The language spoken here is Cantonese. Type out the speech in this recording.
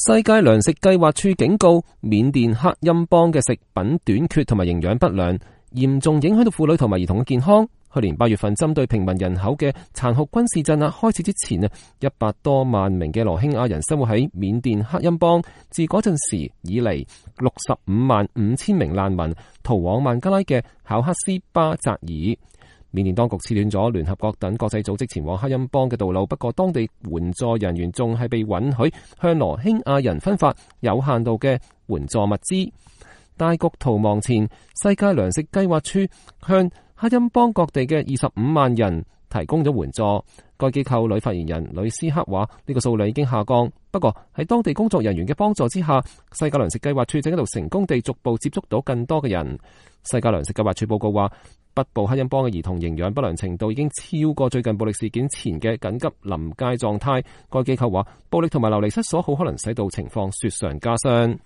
世界糧食計劃署警告，緬甸克欽邦嘅食品短缺同埋營養不良，嚴重影響到婦女同埋兒童嘅健康。去年8月份，針對平民人口嘅殘酷軍事鎮壓開始之前，100多萬名嘅羅興亞人生活喺緬甸克欽邦。自嗰陣時以嚟，65萬5千名難民逃往孟加拉嘅考克斯巴扎爾。緬甸當局切斷咗聯合國等國際組織前往克欽邦嘅道路，不過當地援助人員仲係被允許向羅興亞人分發有限度嘅援助物資。大局逃亡前，世界糧食計劃署向克欽邦各地嘅25萬人提供咗援助。該機構女發言人呂斯克話：呢個數量已經下降，不過喺當地工作人員嘅幫助之下，世界糧食計劃署正喺度成功地逐步接觸到更多嘅人。世界糧食計劃署報告話，北部克欽邦嘅兒童營養不良程度已經超過最近暴力事件前嘅緊急臨界狀態。該機構話，暴力同埋流離失所好可能使到情況雪上加霜。